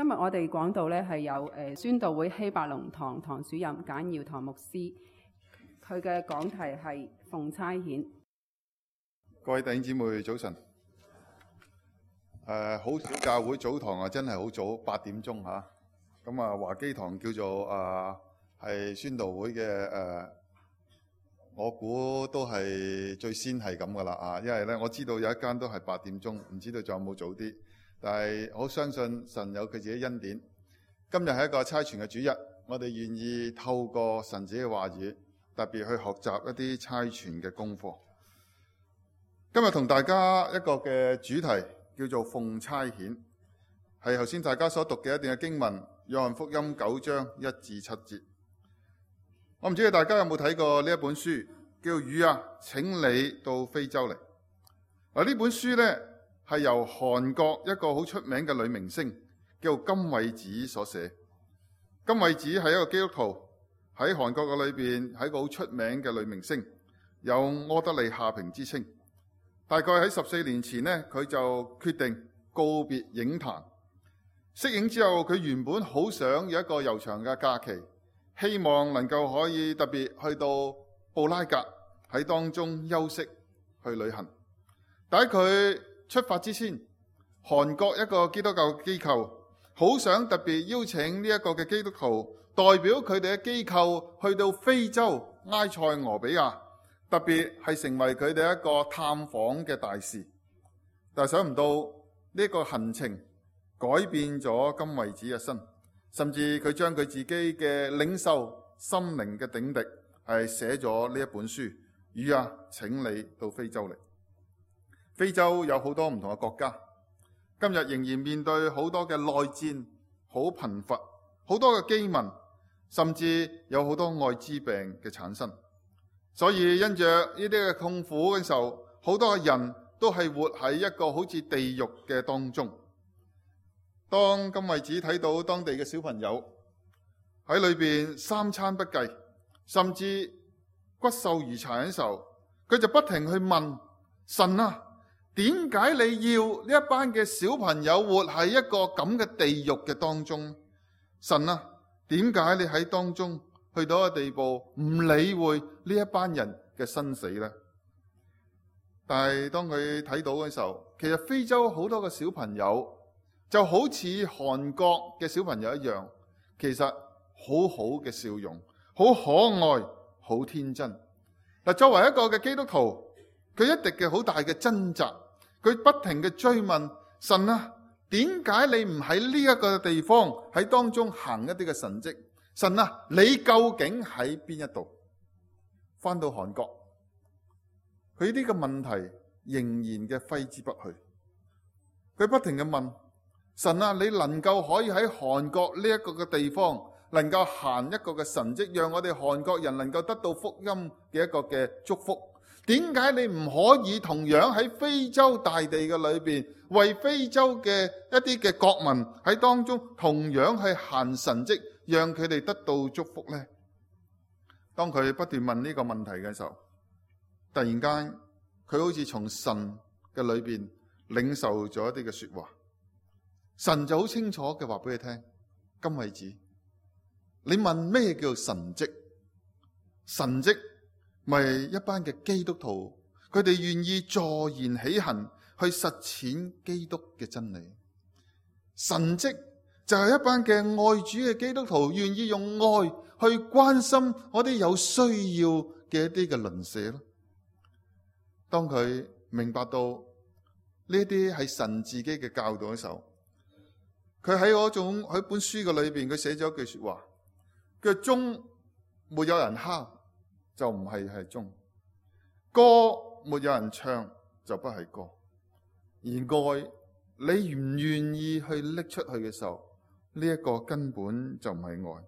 今日我哋講道咧係有宣道會希伯龍堂堂主任簡耀堂牧師，佢嘅講題係奉差遣。各位弟兄姊妹早晨。好少教會早堂啊，真係好早，8點鐘嚇。咁啊，華基堂叫做係宣道會嘅我估都係最先係咁噶啦啊，因為咧我知道有一間都係8點鐘，唔知道仲有冇早啲。但係我相信神有佢自己恩典。今日係一個差傳嘅主日，我哋願意透過神自己嘅話語，特別去學習一啲差傳嘅功課。今日同大家一個嘅主題叫做奉差遣，係頭先大家所讀嘅一段嘅經文，約翰福音9章1至7節。我唔知道大家有冇睇過呢一本書，叫《魚啊，請你到非洲嚟》。呢本書呢，係由韓國一個好出名嘅女明星叫金惠子所寫。金惠子係一個基督徒，喺韓國嘅裏邊係一個好出名嘅女明星，有柯德莉夏萍之稱。大概喺14年前呢，佢就決定告別影壇。息影之後，佢原本好想有一個悠長嘅假期，希望能夠可以特別去到布拉格喺當中休息去旅行。但喺佢出發之前，韓國一個基督教機構好想特別邀請呢一個嘅基督徒代表佢哋嘅機構去到非洲埃塞俄比亞，特別係成為佢哋一個探訪嘅大使。但係想唔到呢個行程改變咗金惠子嘅身，甚至佢將佢自己嘅領袖心靈嘅頂滴係寫咗呢一本書。魚啊，請你到非洲嚟。非洲有好多唔同嘅國家，今日仍然面對好多嘅內戰，好貧乏，好多嘅饑民，甚至有好多愛滋病嘅產生。所以因着呢啲嘅痛苦嘅時候，好多嘅人都係活喺一個好似地獄嘅當中。當金惠子睇到當地嘅小朋友喺裏邊三餐不繼，甚至骨瘦如柴嘅時候，佢就不停去問神啊，點解你要呢一班嘅小朋友活喺一個咁嘅地獄嘅當中？神啊，點解你喺當中去到一個地步唔理會呢一班人嘅生死呢？但係當佢睇到嘅時候，其實非洲好多嘅小朋友就好似韓國嘅小朋友一樣，其實好好嘅笑容，好可愛，好天真。嗱，作為一個嘅基督徒，佢一定嘅好大嘅掙扎，佢不停嘅追問神啊，點解你唔喺呢一個地方喺當中行一啲嘅神蹟？神啊，你究竟喺邊一度？翻到韓國，佢呢個問題仍然嘅揮之不去。佢不停嘅問神啊，你能夠可以喺韓國呢一個嘅地方，能夠行一個嘅神蹟，讓我哋韓國人能夠得到福音嘅一個嘅祝福？點解你唔可以同樣喺非洲大地嘅裏邊，為非洲嘅一啲嘅國民喺當中同樣去行神蹟，讓佢哋得到祝福呢？當佢不斷問呢個問題嘅時候，突然間佢好似從神嘅裏邊領受咗一啲嘅說話。神就好清楚嘅話俾佢聽，金惠子，你問咩叫神蹟？神蹟咪一班嘅基督徒，佢哋願意坐言起行去實踐基督嘅真理。神蹟就係一班嘅愛主嘅基督徒，願意用愛去關心我哋有需要嘅一啲嘅鄰舍咯。當佢明白到呢啲係神自己嘅教導嘅時候，佢喺本書嘅裏邊，佢寫咗一句說話，佢話鐘沒有人敲就唔係鐘，歌沒有人唱就不係歌，而愛你唔願意去拎出去嘅時候，呢一個根本就唔係愛。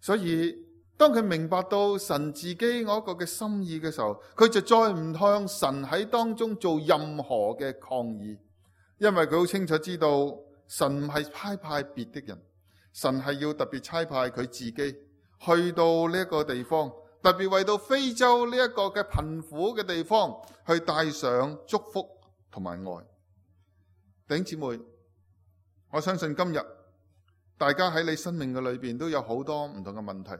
所以當佢明白到神自己嗰個嘅心意嘅時候，佢就再唔向神喺當中做任何嘅抗議，因為佢好清楚知道神唔係差派別的人，神係要特別差派佢自己去到呢一個地方，特別為到非洲呢一個嘅貧苦嘅地方去帶上祝福同埋愛。弟兄姊妹，我相信今日大家喺你生命嘅裏邊都有好多唔同嘅問題。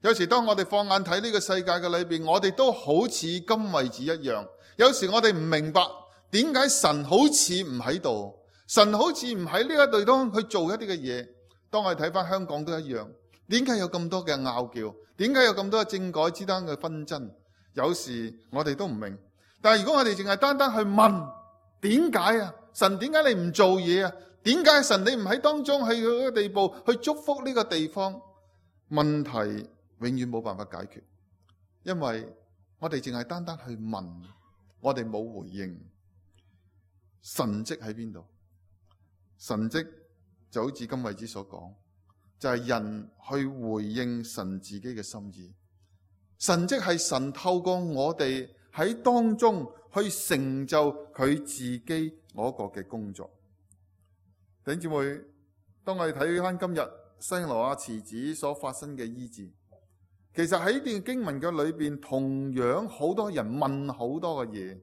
有時當我哋放眼睇呢個世界嘅裏邊，我哋都好似金惠子一樣。有時我哋唔明白點解神好似唔喺度，神好似唔喺呢個地方去做一啲嘅嘢。當我哋睇翻香港都一樣，點解有咁多嘅拗撬？點解有咁多政改之間嘅紛爭？有時我哋都唔明。但係如果我哋淨係單單去問點解啊？神點解你唔做嘢啊？點解神你唔喺當中去嗰個地步去祝福呢個地方？問題永遠冇辦法解決，因為我哋淨係單單去問，我哋冇回應。神蹟喺邊度？神蹟就好似金惠子所講，就係人去回應神自己嘅心意。神蹟係神透過我哋喺當中去成就佢自己嗰個嘅工作。弟兄姊妹，當我哋睇翻今日西羅亞池子所發生嘅醫治，其實喺呢段經文嘅裏邊，同樣好多人問好多嘅嘢。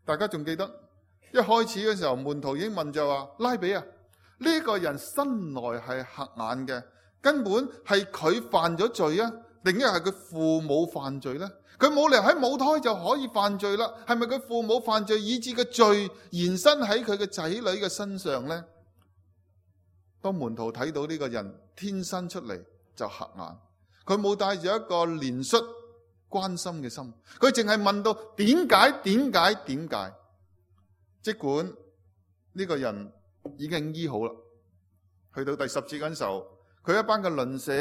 大家仲記得一開始嘅時候，門徒已經問就話：拉比啊，呢個人生來係瞎眼嘅，根本係佢犯咗罪啊，定係佢父母犯罪呢？佢冇理由喺母胎就可以犯罪啦，係咪佢父母犯罪以致嘅罪延伸喺佢嘅仔女嘅身上呢？當門徒睇到呢個人天生出嚟就瞎眼，佢冇帶住一個憐恤關心嘅心，佢淨係問到點解？即管呢個人已經醫好啦，去到第10節嗰陣時候，佢一班嘅鄰舍，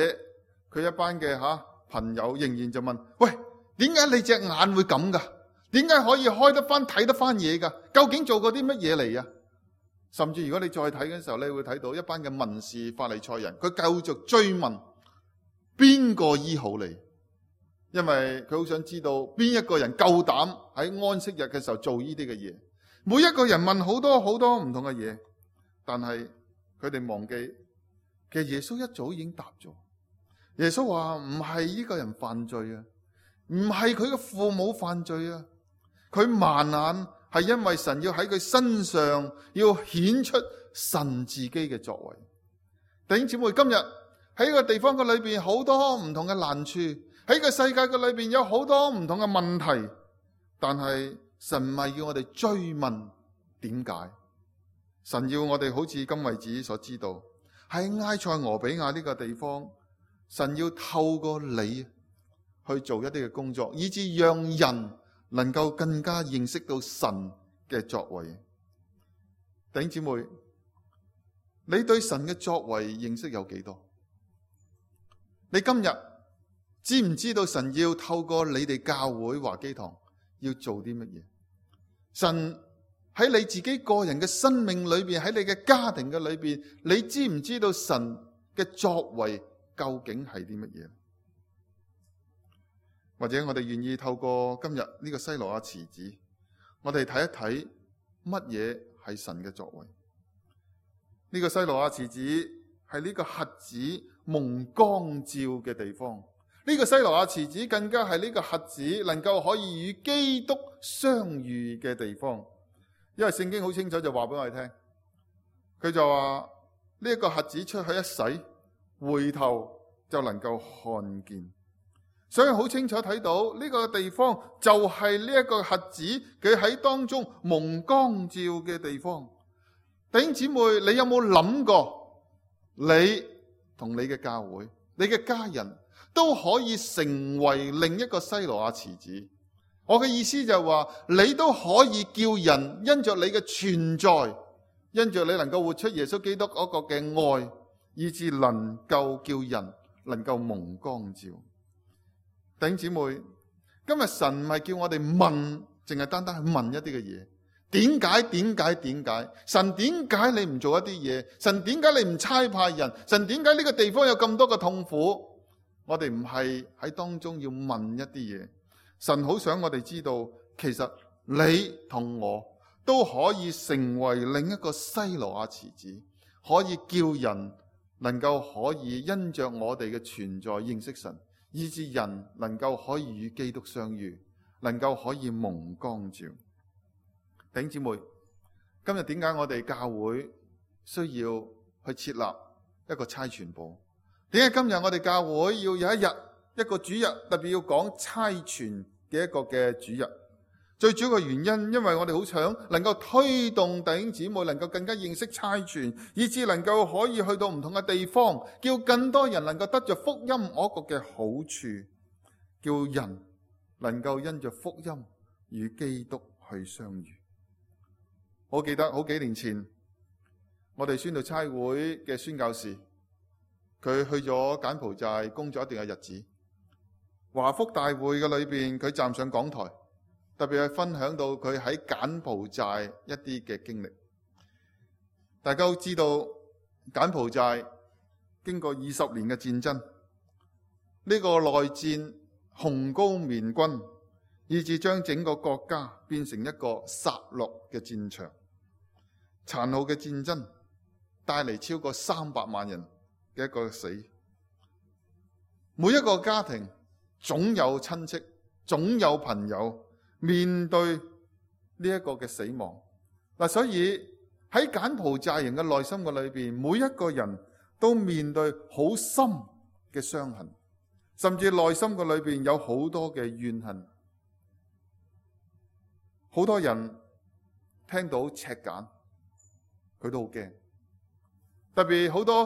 佢一班嘅朋友仍然就問：喂，點解你隻眼會咁噶？點解可以開得翻睇得翻嘢噶？究竟做過啲乜嘢嚟啊？甚至如果你再睇嘅時候，你會睇到一班嘅文士法利賽人，佢繼續追問邊個醫好你，因為佢好想知道邊一個人夠膽喺安息日嘅時候做呢啲嘅嘢。每一個人問好多唔同嘅嘢，但係佢哋忘記，其實耶穌一早已經答咗。耶穌話唔係呢個人犯罪啊，唔係佢嘅父母犯罪啊，佢盲眼係因為神要喺佢身上要顯出神自己嘅作為。弟兄姊妹，今日喺個地方嘅裏邊好多唔同嘅難處，喺個世界嘅裏邊有好多唔同嘅問題，但係神唔係要我哋追問點解，神要我哋好似金惠子所知道，喺埃塞俄比亞呢個地方，神要透過你去做一啲嘅工作，以致讓人能夠更加認識到神嘅作為。弟兄姊妹，你對神嘅作為認識有幾多？你今日知唔知道神要透過你哋教會華基堂要做啲乜嘢？神喺你自己個人嘅生命裏邊，喺你嘅家庭嘅裏邊，你知唔知道神嘅作為究竟係啲乜嘢？或者我哋願意透過今日呢個西羅亞池子，我哋睇一睇乜嘢係神嘅作為。呢個西羅亞池子係呢個瞎子蒙光照嘅地方。呢個西羅亞池子更加係呢個瞎子能夠可以與基督相遇嘅地方。因為聖經好清楚就話俾我哋聽，佢就話呢一個瞎子出去一洗，回頭就能夠看見。所以好清楚睇到呢個地方就係呢一個瞎子佢喺當中蒙光照嘅地方。弟兄姊妹，你有冇諗過你同你嘅教會、你嘅家人都可以成為另一個西羅亞池子？我嘅意思就係話，你都可以叫人因着你嘅存在，因着你能夠活出耶穌基督嗰個嘅愛，以致能夠叫人能夠蒙光照。弟兄姊妹，今日神唔係叫我哋問，淨係單單去問一啲嘅嘢。點解？神點解你唔做一啲嘢？神點解你唔差派人？神點解呢個地方有咁多嘅痛苦？我哋唔係喺當中要問一啲嘢。神好想我哋知道，其實你同我都可以成為另一個西羅亞池子，可以叫人能夠可以因着我哋嘅存在認識神，以致人能夠可以與基督相遇，能夠可以蒙光照。弟兄姊妹，今日點解我哋教會需要去設立一個差傳部。點解今日我哋教會要有一日一個主日，特別要講差傳嘅一個嘅主日？最主要嘅原因，因為我哋好想能夠推動弟兄姊妹能夠更加認識差傳，以致能夠可以去到唔同嘅地方，叫更多人能夠得着福音嗰個嘅好處，叫人能夠因着福音與基督去相遇。我記得好幾年前，我哋宣道差會嘅宣教士，佢去咗柬埔寨工作一段嘅日子。華福大會嘅裏邊，佢站上講台，特別係分享到佢喺柬埔寨一啲嘅經歷。大家都知道柬埔寨經過20年嘅戰爭，呢個內戰雄高棉軍，以致將整個國家變成一個殺戮嘅戰場。殘酷嘅戰爭帶嚟超過300萬人嘅一個死。每一個家庭總有親戚，總有朋友面對呢一個嘅死亡。所以喺柬埔寨人嘅內心嘅裏邊，每一個人都面對好深嘅傷痕，甚至內心嘅裏邊有好多嘅怨恨。好多人聽到赤柬，佢都好驚。特別好多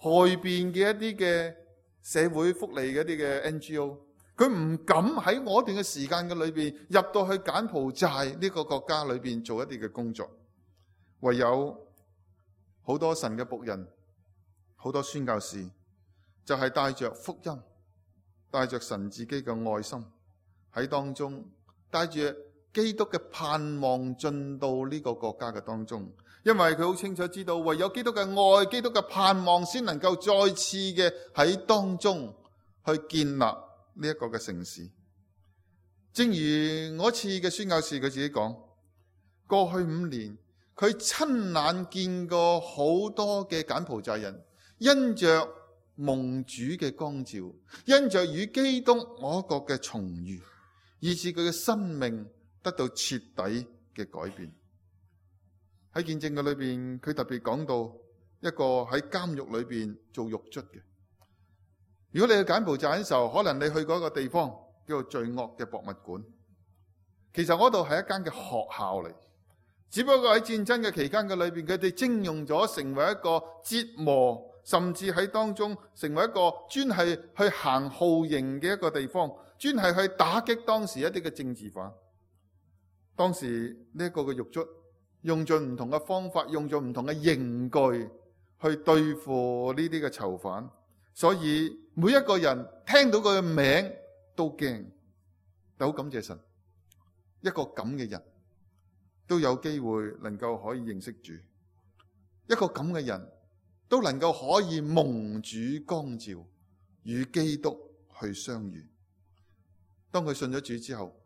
外邊嘅一啲嘅社會福利嘅一啲嘅 NGO， 佢唔敢喺我段嘅時間嘅裏邊入到去柬埔寨呢個國家裏邊做一啲嘅工作。唯有好多神嘅僕人，好多宣教士，就係帶着福音，帶着神自己嘅愛心喺當中，帶住基督嘅盼望進到呢個國家嘅當中。因為佢好清楚知道，唯有基督嘅愛、基督嘅盼望，先能夠再次嘅喺當中去建立呢一個嘅城市。正如我次嘅宣教士佢自己講，過去5年佢親眼見過好多嘅柬埔寨人因着蒙主嘅光照，因着與基督嗰個嘅重遇，以致佢嘅生命得到徹底嘅改變。喺見證嘅裏邊，佢特別講到一個喺監獄裏邊做獄卒嘅。如果你去柬埔寨嘅時候，可能你去過一個地方叫做罪惡嘅博物館。其實嗰度係一間嘅學校嚟，只不過喺戰爭嘅期間嘅裏邊，佢哋徵用咗成為一個折磨，甚至喺當中成為一個專係去行酷刑嘅一個地方，專係去打擊當時一啲嘅政治犯。當時呢一個嘅獄卒用盡唔同嘅方法，用盡唔同嘅刑具去對付呢啲嘅囚犯，所以每一個人聽到佢嘅名都驚。但好感謝神，一個咁嘅人都有機會能夠可以認識主，一個咁嘅人都能夠可以蒙主光照，與基督去相遇。當佢信咗主之後，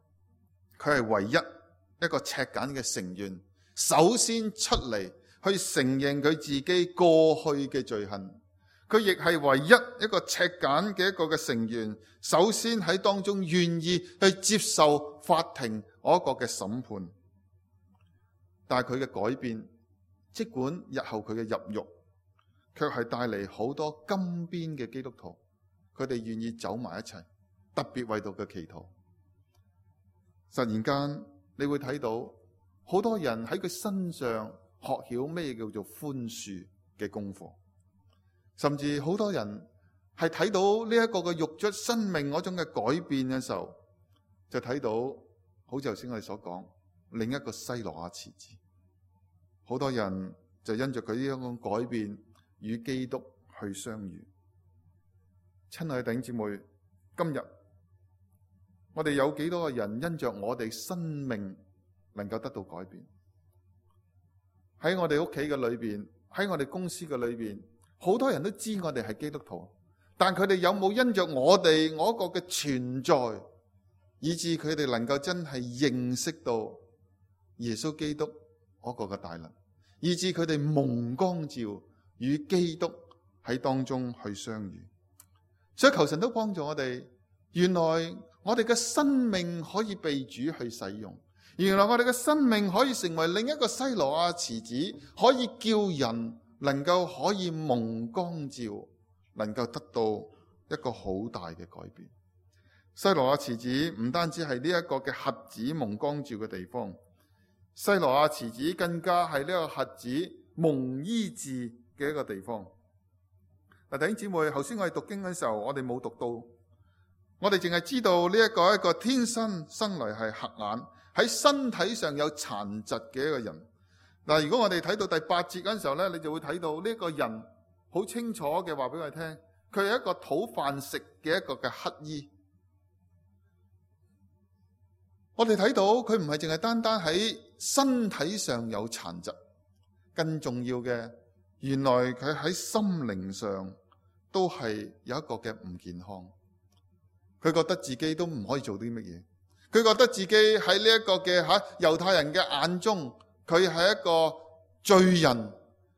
佢係唯一一個赤柬嘅成員，首先出嚟去承認佢自己過去嘅罪行。佢亦係唯一一個赤柬嘅一個嘅成員，首先喺當中願意去接受法庭嗰個嘅審判。但係佢嘅改變，即管日後佢嘅入獄，卻係帶嚟好多金邊嘅基督徒，佢哋願意走埋一齊，特別為到佢祈禱。突然間你會睇到好多人喺佢身上學曉咩叫做寬恕嘅功課，甚至好多人係睇到呢一個嘅獄卒生命嗰種嘅改變嘅時候，就睇到好似頭先我哋所講另一個西羅亞池子。好多人就因着佢呢種改變與基督去相遇。親愛嘅弟兄姊妹，今日我哋有幾多個人因着我哋生命能夠得到改變？喺我哋屋企嘅裏邊，喺我哋公司嘅裏邊，好多人都知我哋係基督徒，但佢哋有冇因着我哋嗰個嘅存在，以致佢哋能夠真係認識到耶穌基督嗰個嘅大能，以致佢哋蒙光照與基督喺當中去相遇。所以求神都幫助我哋，原來我哋嘅生命可以被主去使用，原來我哋嘅生命可以成為另一個西羅亞池子，可以叫人能夠可以蒙光照，能夠得到一個好大嘅改變。西羅亞池子唔單止係呢一個嘅瞎子蒙光照嘅地方，西羅亞池子更加係呢個瞎子蒙醫治嘅一個地方。嗱，弟兄姊妹，頭先我哋讀經嘅時候，我哋冇讀到，我哋淨係知道呢一個天生嚟係瞎眼，喺身體上有殘疾嘅一個人。嗱，如果我哋睇到第8節嗰陣時候咧，你就會睇到呢個人好清楚嘅話俾我哋聽，佢係一個討飯食嘅一個嘅乞兒。我哋睇到佢唔係淨係單單喺身體上有殘疾，更重要嘅，原來佢喺心靈上都係有一個嘅唔健康。佢覺得自己都唔可以做啲乜嘢，佢覺得自己喺呢一個嘅猶太人嘅眼中，佢係一個罪人，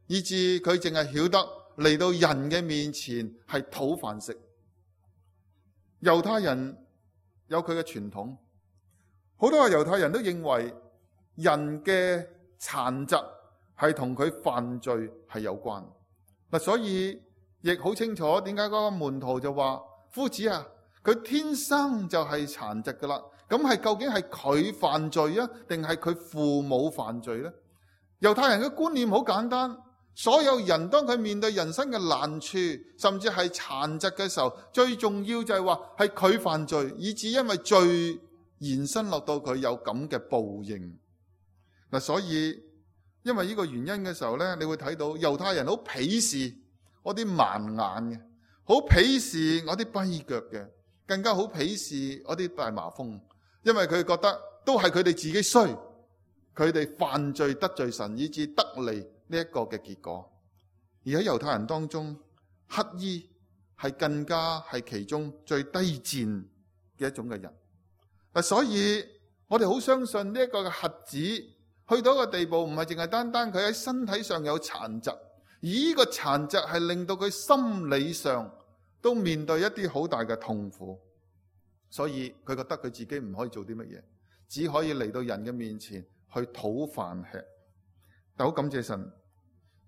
以致佢淨係曉得嚟到人嘅面前係討飯食。猶太人有佢嘅傳統，好多嘅猶太人都認為人嘅殘疾係同佢犯罪係有關。嗱，所以亦好清楚點解嗰個門徒就話：夫子啊，佢天生就係殘疾噶啦。咁係究竟係佢犯罪啊，定係佢父母犯罪呢？猶太人嘅觀念好簡單，所有人當佢面對人生嘅難處，甚至係殘疾嘅時候，最重要就係話係佢犯罪，以致因為罪延伸落到佢有咁嘅報應。嗱，所以因為呢個原因嘅時候呢，你會睇到猶太人好鄙視我啲盲眼嘅，好鄙視我啲跛腳嘅，更加好鄙視我啲大麻風，因為佢覺得都係佢哋自己衰，佢哋犯罪得罪神，以致得嚟呢一個嘅結果。而喺猶太人當中，乞兒係更加係其中最低賤嘅一種嘅人。所以我哋好相信呢一個嘅瞎子去到一個地步，唔係淨係單單佢喺身體上有殘疾，而呢個殘疾係令到佢心理上都面對一啲好大嘅痛苦。所以佢覺得佢自己唔可以做啲乜嘢，只可以嚟到人嘅面前去討飯吃。但好感謝神，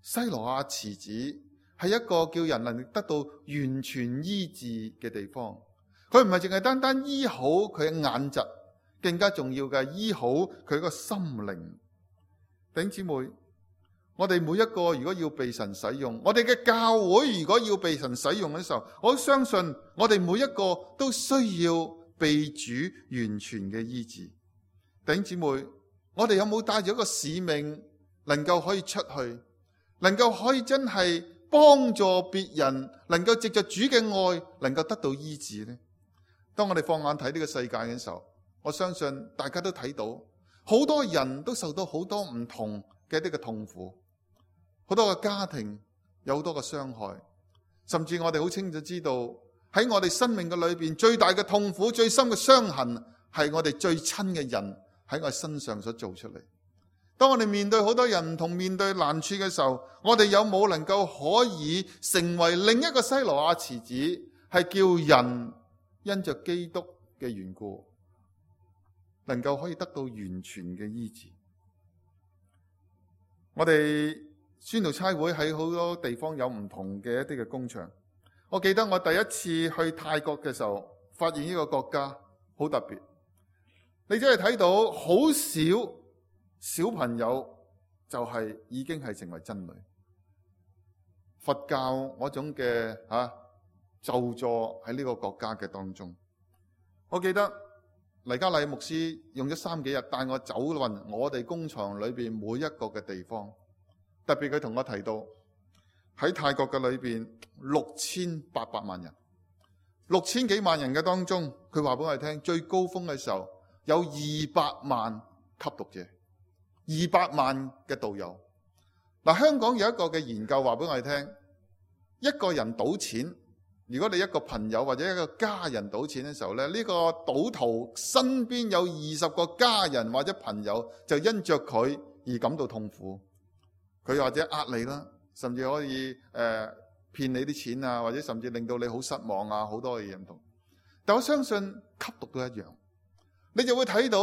西羅亞池子係一個叫人能得到完全醫治嘅地方。佢唔係淨係單單醫好佢嘅眼疾，更加重要嘅係醫好佢個心靈。弟兄姊妹，我哋每一個如果要被神使用，我哋嘅教會如果要被神使用嘅時候，我相信我哋每一個都需要被主完全嘅醫治。弟兄姊妹，我哋有冇帶住一個使命，能夠可以出去，能夠可以真係幫助別人，能夠藉着主嘅愛，能夠得到醫治呢？當我哋放眼睇呢個世界嘅時候，我相信大家都睇到，好多人都受到好多唔同嘅一啲嘅痛苦，好多嘅家庭有好多嘅傷害，甚至我哋好清楚知道，喺我哋生命嘅裏邊，最大嘅痛苦、最深嘅傷痕，係我哋最親嘅人喺我身上所做出嚟。當我哋面對好多人唔同面對難處嘅時候，我哋有冇能夠可以成為另一個西羅亞池子，係叫人因着基督嘅緣故，能夠可以得到完全嘅醫治？我哋宣道差會喺好多地方有唔同嘅一啲嘅工場。我記得我第一次去泰國嘅時候，發現呢個國家好特別。你真係睇到好少小朋友就係已經係成為真女。佛教嗰種嘅咒詛喺呢個國家嘅當中。我記得黎家禮牧師用咗3幾日帶我走勻我哋工廠裏邊每一個嘅地方，特別佢同我提到喺泰國嘅裏邊6800萬人，6000幾萬人嘅當中，佢話俾我哋聽，最高峰嘅時候有200萬吸毒者，200萬嘅道友。嗱，香港有一個嘅研究話俾我哋聽，一個人賭錢，如果你一個朋友或者一個家人賭錢嘅時候咧，呢個賭徒身邊有20個家人或者朋友就因着佢而感到痛苦，佢或者呃你啦，甚至可以騙你啲錢啊，或者甚至令到你好失望啊，好多嘅嘢唔同。但我相信吸毒都一樣，你就會睇到，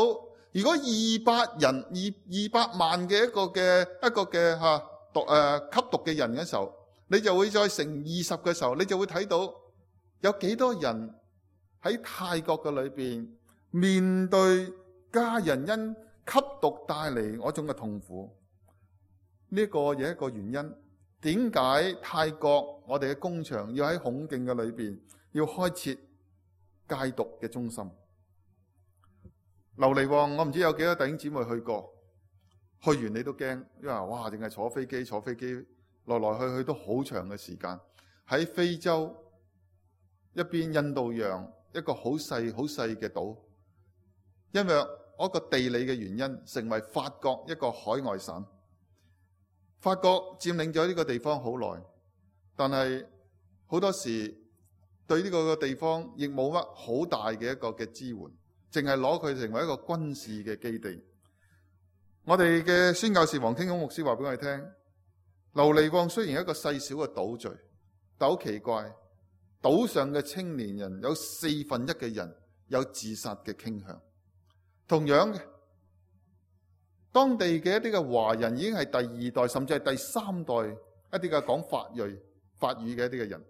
如果200萬嘅一個嘅吸毒嘅人嘅時候，你就會再乘20嘅時候，你就會睇到有幾多人喺泰國嘅裏邊面對家人因吸毒帶嚟嗰種嘅痛苦。呢個有一個原因，點解泰國我哋嘅工場要喺孔徑嘅裏邊要開設戒毒嘅中心？琉璃旺，我唔知有幾多弟兄姊妹去過，去完你都驚，因為哇，淨係坐飛機來來去去都好長嘅時間。喺非洲一邊印度洋一個好細嘅島，因為嗰個地理嘅原因，成為法國一個海外省。法國佔領咗呢個地方好耐，但係好多時對呢個地方亦冇乜好大嘅一個嘅支援，淨係攞佢成為一個軍事嘅基地。我哋嘅宣教士黃天公牧師話俾我哋聽，琉璃旺雖然係一個細小嘅島嶼，但好奇怪，島上嘅青年人有1/4嘅人有自殺嘅傾向。同樣嘅，當地嘅一啲嘅華人已經係第2代甚至係第3代一啲嘅講法語嘅一啲嘅人，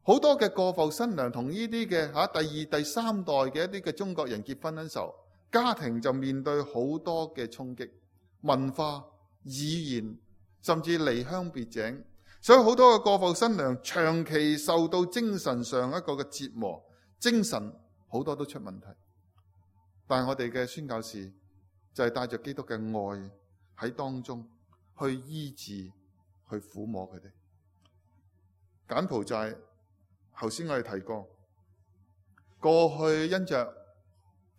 好多嘅過埠新娘同呢啲嘅第2、第3代嘅一啲嘅中國人結婚嘅時候，家庭就面對好多嘅衝擊，文化、語言，甚至離鄉別井，所以好多嘅過埠新娘長期受到精神上一個嘅折磨，精神好多都出問題。但係我哋嘅宣教士就係帶着基督嘅愛喺當中去醫治、去撫摸佢哋。柬埔寨頭先我哋提過，過去因着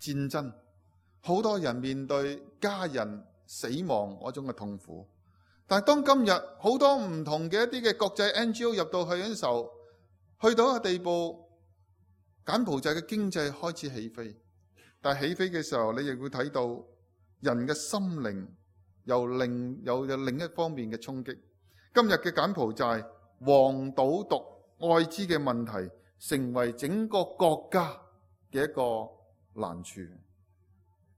戰爭，好多人面對家人死亡嗰種嘅痛苦。但係當今日好多唔同嘅一啲嘅國際 NGO 入到去嘅時候，去到一個地步，柬埔寨嘅經濟開始起飛。但係起飛嘅時候，你亦會睇到人嘅心靈有另一方面嘅衝擊。今日嘅柬埔寨黃賭毒愛滋嘅問題，成為整個國家嘅一個難處。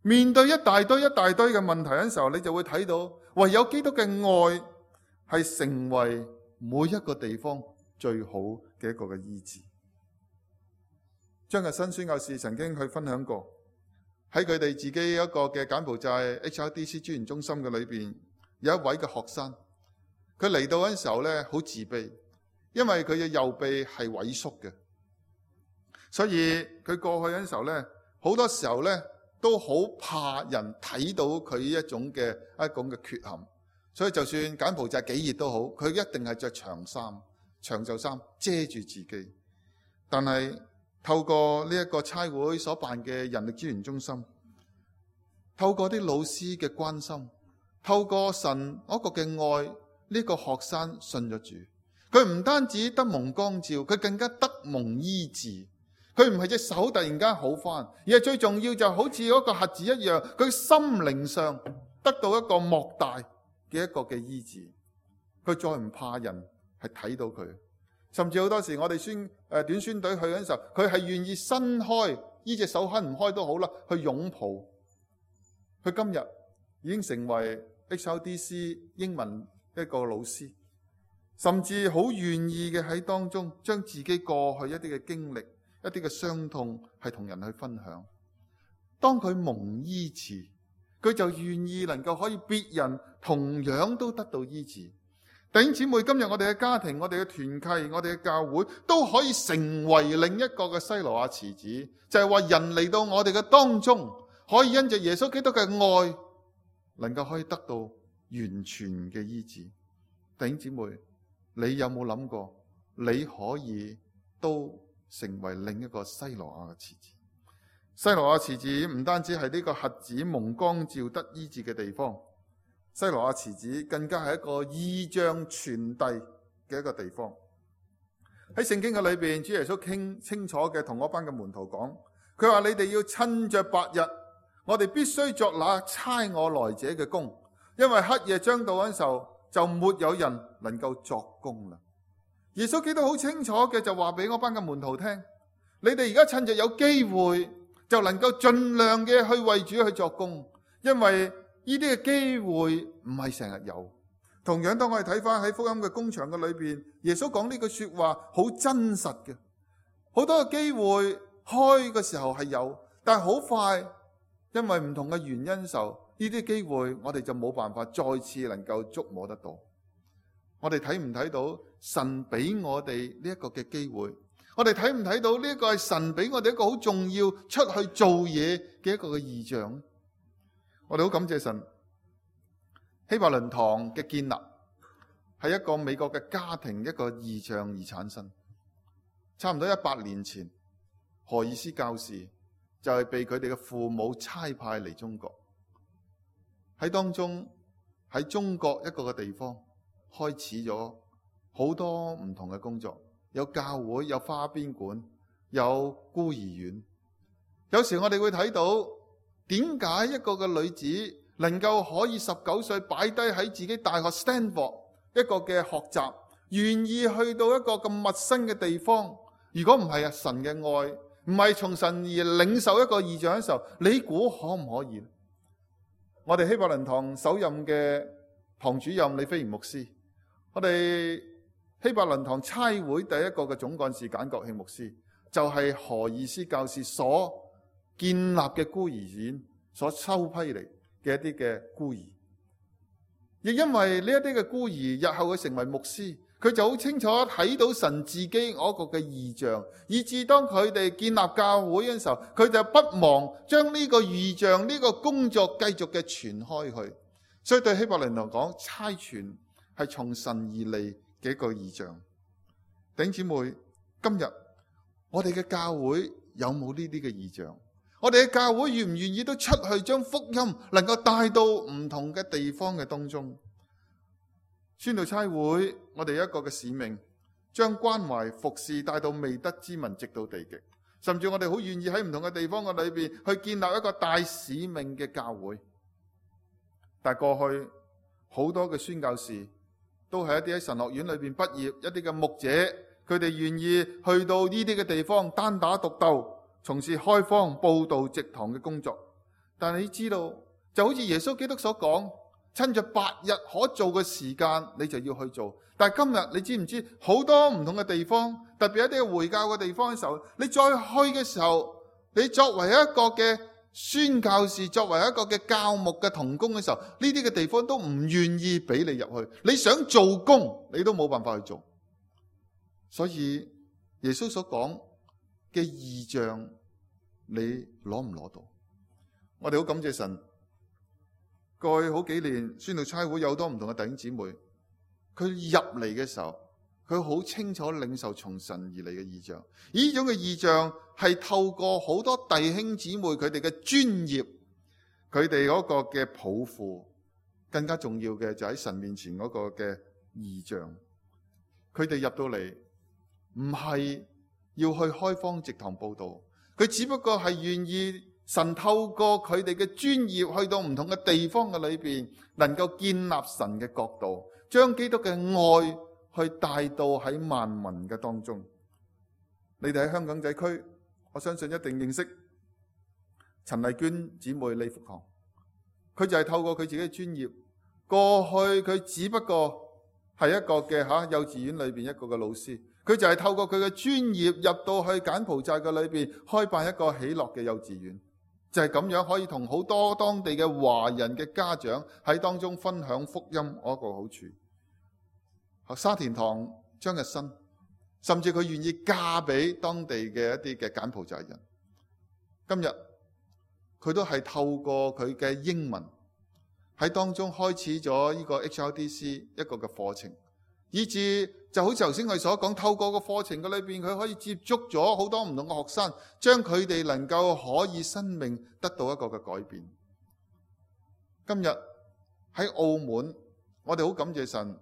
面對一大堆嘅問題嘅時候，你就會睇到唯有基督嘅愛係成為每一個地方最好嘅一個嘅醫治。張日新宣教士曾經去分享過，喺佢哋自己一個嘅柬埔寨 HRDC 資源中心嘅裏邊，有一位嘅學生，佢嚟到嗰陣時候咧，好自卑，因為佢嘅右臂係萎縮嘅，所以佢過去嗰陣時候咧，好多時候咧都好怕人睇到佢一種嘅缺陷，所以就算柬埔寨幾熱都好，佢一定係着長袖衫遮住自己。但係透過呢一個差會所辦嘅人力資源中心，透過啲老師嘅關心，透過神嗰個嘅愛，呢個學生信咗主。佢唔單止得蒙光照，佢更加得蒙醫治。佢唔係隻手突然間好返，而係最重要就好似嗰個瞎子一樣，佢心靈上得到一個莫大嘅一個嘅醫治。佢再唔怕人係睇到佢。甚至好多時我哋短宣隊去嗰陣時候，佢係願意伸開呢隻手，伸唔開都好啦，去擁抱。佢今日已經成為 HRDC 英文一個老師，甚至好願意嘅喺當中將自己過去一啲嘅經歷、一啲嘅傷痛係同人去分享。當佢蒙醫治，佢就願意能夠可以別人同樣都得到醫治。弟兄姊妹，今日我哋嘅家庭、我哋嘅團契、我哋嘅教會都可以成為另一個嘅西羅亞池子，就係話人嚟到我哋嘅當中，可以因着耶穌基督嘅愛，能夠可以得到完全嘅醫治。弟兄姊妹，你有冇諗過，你可以都成為另一個西羅亞嘅池子？西羅亞池子唔單止係呢個瞎子蒙光照得醫治嘅地方。西羅亞池子更加係一個異象傳遞嘅一個地方。喺聖經嘅裏邊，主耶穌清楚嘅同嗰班嘅門徒講，佢話你哋要趁着白日，我哋必須作那差我來者嘅工，因為黑夜將到嗰陣時候，就沒有人能夠作工啦。耶穌基督好清楚嘅就話俾嗰班嘅門徒聽，你哋而家趁着有機會，就能夠盡量嘅去為主去作工，因為呢啲嘅機會唔係成日有，同樣當我哋睇翻喺福音嘅工場嘅裏邊，耶穌講呢句說話好真實嘅。好多嘅機會開嘅時候係有，但係好快因為唔同嘅原因時候，呢啲機會我哋就冇辦法再次能夠觸摸得到。我哋睇唔睇到神俾我哋呢一個嘅機會？我哋睇唔睇到呢一個係神俾我哋一個好重要出去做嘢嘅一個嘅異象？我哋好感謝神，希伯倫堂嘅建立係一個美國嘅家庭一個異象而產生。差唔多100年前，何爾斯教士就係被佢哋嘅父母差派嚟中國，喺當中喺中國一個嘅地方開始咗好多唔同嘅工作，有教會，有花邊館，有孤兒院。有時我哋會睇到點解一個嘅女子能夠可以19歲擺低喺自己大學 Stanford 一個嘅學習，願意去到一個咁陌生嘅地方。如果唔係神嘅愛，唔係從神而領受一個異象嘅時候，你估可唔可以？我哋希伯倫堂首任嘅堂主任李飛賢牧師，我哋希伯倫堂差會第一個嘅總幹事簡國慶牧師，就係何爾斯教士所建立嘅孤兒院所收批嚟嘅一啲嘅孤兒。亦因為呢一啲嘅孤兒日後佢成為牧師，佢就好清楚睇到神自己嗰個嘅異象，以致當佢哋建立教會嘅時候，佢就不忘將呢個異象呢個工作繼續嘅傳開去。所以對希伯倫堂講，差傳係從神而嚟嘅一個異象。弟兄姊妹，今日我哋嘅教會有冇呢啲嘅異象？我哋嘅教會願唔願意都出去將福音能夠帶到唔同嘅地方嘅當中？宣道差會，我哋有一個嘅使命，將關懷服侍帶到未得之民，直到地極。甚至我哋好願意喺唔同嘅地方嘅裏邊去建立一個大使命嘅教會。但係過去好多嘅宣教士都係一啲喺神學院裏邊畢業，一啲嘅牧者，佢哋願意去到呢啲嘅地方單打獨鬥，從事開荒、佈道、植堂嘅工作。但係你知道，就好似耶穌基督所講，趁着白日可做嘅時間，你就要去做。但係今日你知唔知，好多唔同嘅地方，特別一啲嘅回教嘅地方嘅時候，你再去嘅時候，你作為一個嘅宣教士，作為一個嘅教牧嘅同工嘅時候，呢啲嘅地方都唔願意俾你入去。你想做工，你都冇辦法去做。所以耶穌所講嘅異象，你攞唔攞到？我哋好感謝神。過去好幾年，宣道差會有好多唔同嘅弟兄姊妹，佢入嚟嘅時候，佢好清楚領受從神而嚟嘅異象。而呢種嘅異象係透過好多弟兄姊妹佢哋嘅專業，佢哋嗰個嘅抱負，更加重要嘅就喺神面前嗰個嘅異象。佢哋入到嚟唔係要去開荒植堂佈道，佢只不過係願意神透過佢哋嘅專業去到唔同嘅地方嘅裏邊，能夠建立神嘅國度，將基督嘅愛去帶到喺萬民嘅當中。你哋喺香港仔區，我相信一定認識陳麗娟姊妹李福堂，佢就係透過佢自己嘅專業，過去佢只不過係一個嘅幼稚園裏邊一個嘅老師，佢就係透過佢嘅專業入到去柬埔寨嘅裏邊開辦一個喜樂嘅幼稚園。就係咁樣可以同好多當地嘅華人嘅家長喺當中分享福音嗰個好處。沙田堂張日新，甚至佢願意嫁俾當地嘅一啲嘅柬埔寨人。今日佢都係透過佢嘅英文喺當中開始咗呢個 HRDC 一個嘅課程，以至就好似頭先佢所講，透過個課程嘅裏邊，佢可以接觸咗好多唔同嘅學生，將佢哋能夠可以生命得到一個嘅改變。今日喺澳門，我哋好感謝神，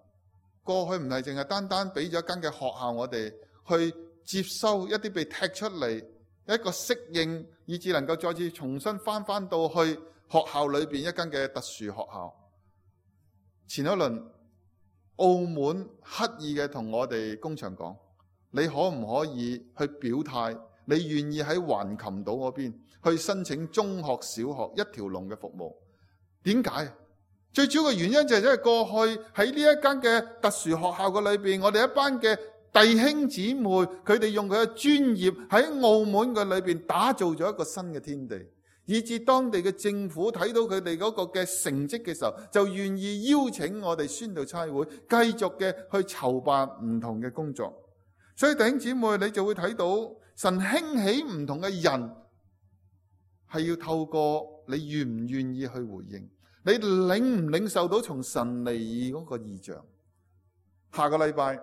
過去唔係淨係單單俾咗一間嘅學校，我哋去接收一啲被踢出嚟一個適應，以至能夠再次重新翻到去學校裏邊一間嘅特殊學校。前一輪澳門刻意嘅同我哋工場講，你可唔可以去表態，你願意喺橫琴島嗰邊去申請中學、小學一條龍嘅服務？點解？最主要嘅原因就係因為過去喺呢一間嘅特殊學校嘅裏邊，我哋一班嘅弟兄姊妹，佢哋用佢嘅專業喺澳門嘅裏邊打造咗一個新嘅天地，以至當地嘅政府睇到佢哋嗰個嘅成績嘅時候，就願意邀請我哋宣道差會繼續嘅去籌辦唔同嘅工作。所以弟兄姊妹，你就會睇到神興起唔同嘅人，係要透過你願唔願意去回應，你領唔領受到從神嚟嗰個異象。下個禮拜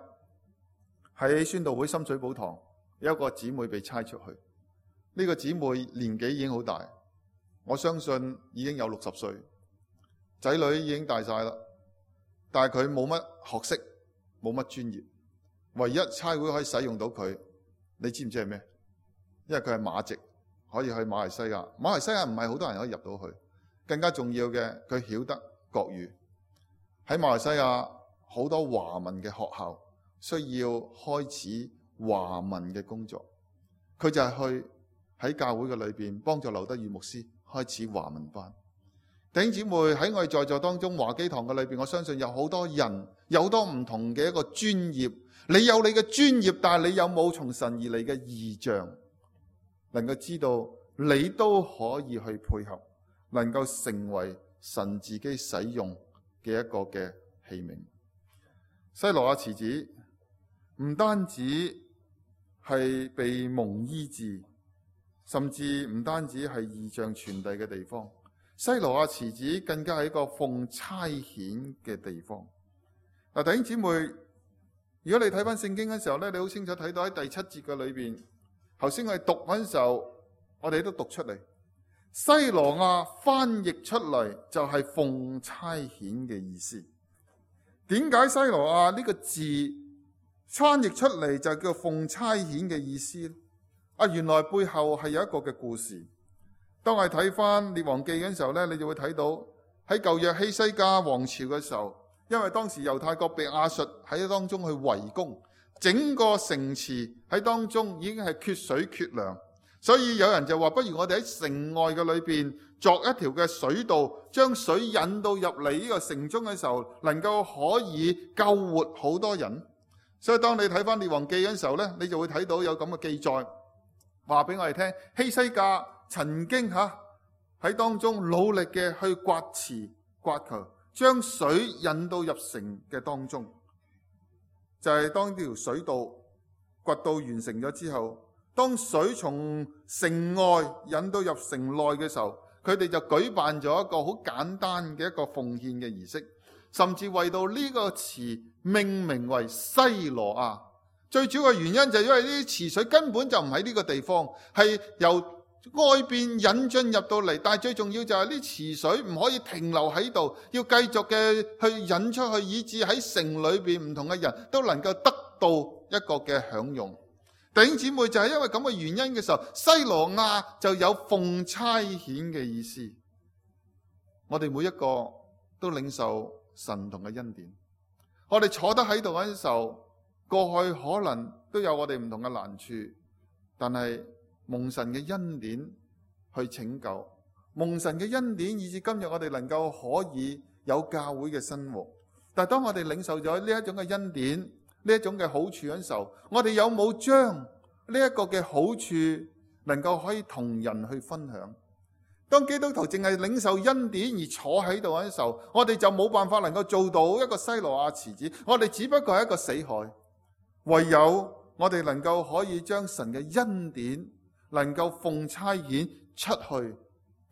喺宣道會深水埗堂有一個姊妹被差出去，呢個姊妹年紀已經好大，我相信已經有60歲，仔女已經大晒啦，但係佢冇乜學識，冇乜專業，唯一差會可以使用到佢，你知唔知係咩？因為佢係馬籍，可以去馬來西亞。馬來西亞唔係好多人可以入到去，更加重要嘅，佢曉得國語。喺馬來西亞好多華文嘅學校需要開始華文嘅工作，佢就係去喺教會嘅裏邊幫助劉德宇牧師開始華文班。弟兄姊妹，喺我哋在座當中華基堂嘅裏邊，我相信有好多人，有好多唔同嘅一個專業。你有你嘅專業，但係你有冇從神而嚟嘅異象，能夠知道你都可以去配合，能夠成為神自己使用嘅一個嘅器皿。西羅亞池子唔單止係被蒙醫治，甚至唔單止係異象傳遞嘅地方，西羅亞池子更加係一個奉差遣嘅地方。嗱，弟兄姊妹，如果你睇翻聖經嘅時候咧，你好清楚睇到喺第7節嘅裏邊，頭先我哋讀嗰陣時候，我哋都讀出嚟，西羅亞翻譯出嚟就係奉差遣嘅意思。點解西羅亞呢個字翻譯出嚟就叫奉差遣嘅意思呢？原來背後係有一個嘅故事。當我哋睇翻列王記嘅時候咧，你就會睇到喺舊約希西家王朝嘅時候，因為當時猶太國被亞述喺當中去圍攻，整個城池喺當中已經係缺水缺糧，所以有人就話不如我哋喺城外嘅裏邊作一條嘅水道，將水引到入嚟呢個城中嘅時候，能夠可以救活好多人。所以當你睇翻列王記嘅時候呢，你就會睇到有咁嘅記載，話俾我哋聽，希西家曾經喺當中努力嘅去刮池刮渠，將水引到入城嘅當中。就係當呢條水道掘到完成咗之後，當水從城外引到入城內嘅時候，佢哋就舉辦咗一個好簡單嘅一個奉獻嘅儀式，甚至為到呢個池命名為西羅亞。最主要嘅原因就係因為呢啲池水根本就唔喺呢個地方，係由外邊引進入到嚟，但係最重要就係呢池水唔可以停留喺度，要繼續嘅去引出去，以致喺城裏邊唔同嘅人都能夠得到一個嘅享用。弟兄姊妹，就係因為咁嘅原因嘅時候，西羅亞就有奉差遣嘅意思。我哋每一個都領受神同嘅恩典，我哋坐得喺度嗰陣時候，過去可能都有我哋唔同嘅難處，但係蒙神嘅恩典去拯救，蒙神嘅恩典以至今日我哋能夠可以有教會嘅生活。但係當我哋領受咗呢一種嘅恩典，呢一種嘅好處嘅時候，我哋有冇將呢一個嘅好處能夠可以同人去分享？當基督徒淨係領受恩典而坐喺度嘅時候，我哋就冇辦法能夠做到一個西羅亞池子，我哋只不過係一個死海。唯有我哋能夠可以將神嘅恩典能夠奉差遣出去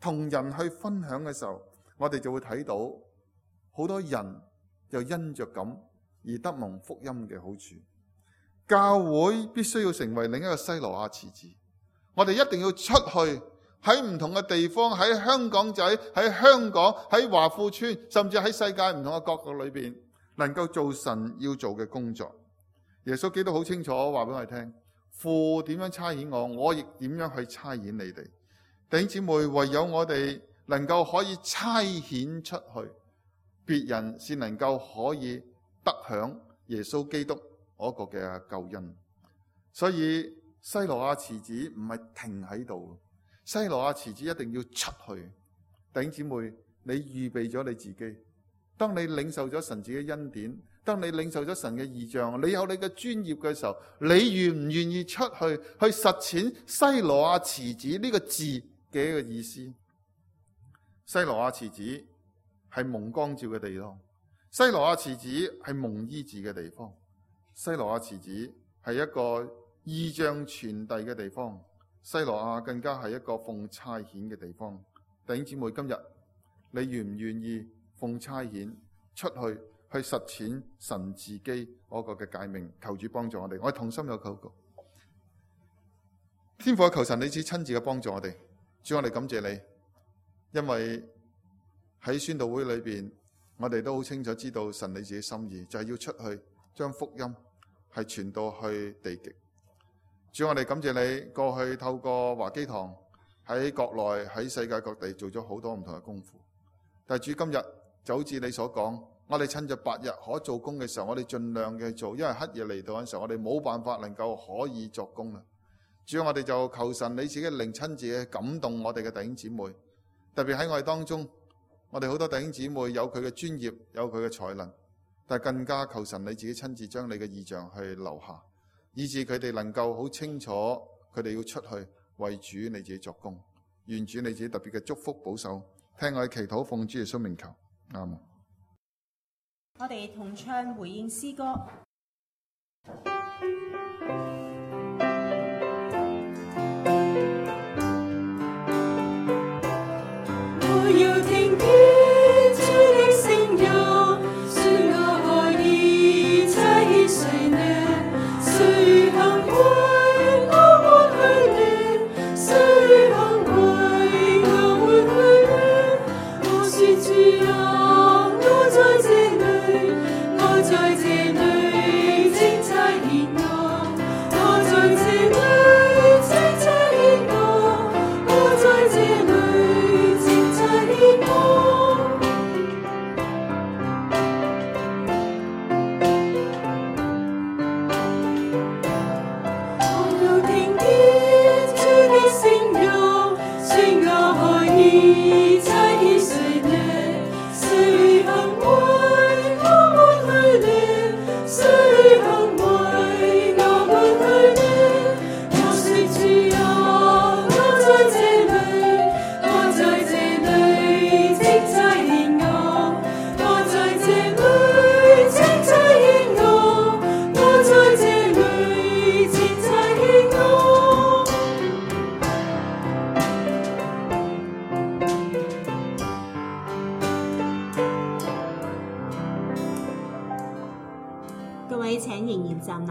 同人去分享嘅時候，我哋就會睇到好多人就因着咁而得蒙福音嘅好處。教會必須要成為另一個西羅亞池子，我哋一定要出去喺唔同嘅地方，喺香港仔，喺香港，喺華富村，甚至喺世界唔同嘅角度裏邊，能夠做神要做嘅工作。耶穌基督好清楚話俾我哋聽，父點樣差遣我，我亦點樣去差遣你哋。弟兄姊妹，唯有我哋能夠可以差遣出去，別人先能夠可以得享耶穌基督嗰個嘅救恩。所以西羅亞池子唔係停喺度，西羅亞池子一定要出去。弟兄姊妹，你預備咗你自己，當你領受咗神自己恩典，當你領受咗神嘅異象，你有你嘅專業嘅時候，你願唔願意出去實踐西羅亞池子呢個字嘅一個意思？西羅亞池子係蒙光照嘅地方，西羅亞池子係蒙醫治嘅地方，西羅亞池子係一個異象傳遞嘅地方，西羅亞更加係一個奉差遣嘅地方。弟兄姊妹，今日你願唔願意奉差遣出去實踐神自己嗰個嘅誡命？求主幫助我哋，我哋同心有禱告。天父，求神你只親自嘅幫助我哋。主，我哋感謝你，因為喺宣道會裏邊，我哋都好清楚知道神你自己心意，就係要出去將福音係傳到去地極。主，我哋感謝你過去透過華基堂喺國內喺世界各地做咗好多唔同嘅功夫，但係主，今日就好似你所講，我哋趁着白日可做工嘅時候，我哋盡量嘅做，因為黑夜嚟到嘅時候，我哋冇辦法能夠可以作工啦。主，我哋就求神你自己靈親自嘅感動我哋嘅弟兄姊妹，特別喺我哋當中，我哋好多弟兄姊妹有佢嘅專業，有佢嘅才能，但係更加求神你自己親自將你嘅異象去留下，以致佢哋能夠好清楚佢哋要出去為主你自己作工。願主你自己特別嘅祝福保守，聽我哋祈禱，奉主耶穌名求，阿們。我哋同唱回應詩歌。我要聽見主的聲音，說我可以差遣誰呢？誰肯為我抹去呢？誰肯為我抹去呢？我說主啊，我在這裏，我在這裏，請差遣我。我在這裏，請差遣我。我在這裏，請差遣我。我又聽見主的聲音，說我可以差遣誰呢？誰肯為我抹去呢？誰肯為我抹去呢？我說主啊，我在這裏，我在這裏，請差遣我。我在這裏，請差遣我。我在這裏，請差遣我。各位請仍然站立。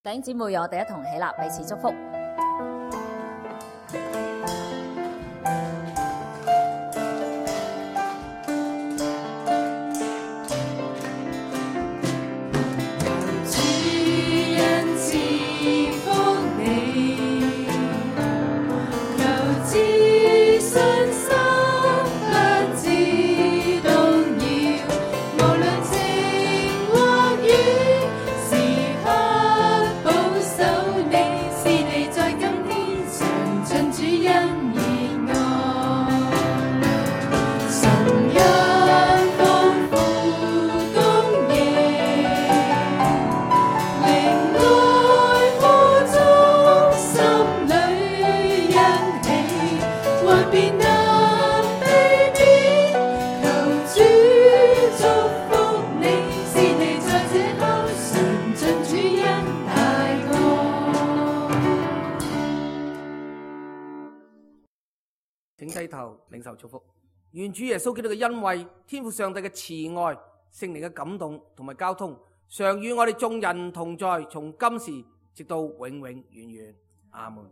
弟兄姊妹，讓我哋一同起立，彼此祝福。主恩賜福你，求知信心不知動搖，無論晴或雨，時刻保守你，是你在今天常盡主恩義愛。神恩豐富供應，靈愛苦中，心裏欣喜，幻變得卑微，求主祝福你，是你在這刻常盡主恩大愛。請低頭領受祝福，願主耶穌基督嘅恩惠、天父上帝嘅慈愛、聖靈嘅感動同埋交通，常與我哋眾人同在，從今時直到永永遠遠。阿門。